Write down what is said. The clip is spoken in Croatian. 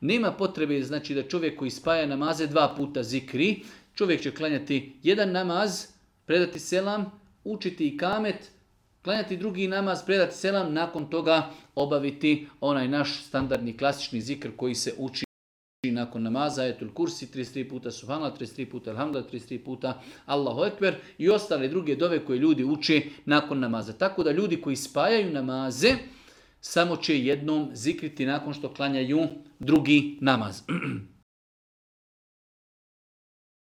Nema potrebe znači da čovjek koji spaja namaze 2 puta zikri. Čovjek će klanjati jedan namaz, predati selam, učiti ikamet, klanjati drugi namaz, predati selam, nakon toga obaviti onaj naš standardni klasični zikr koji se uči nakon namaza, ajetul kursi, 33 puta subhanallah, 33 puta alhamdulillah, 33 puta Allahu ekber i ostale druge dove koje ljudi uče nakon namaza. Tako da ljudi koji spajaju namaze samo će jednom zikriti nakon što klanjaju drugi namaz.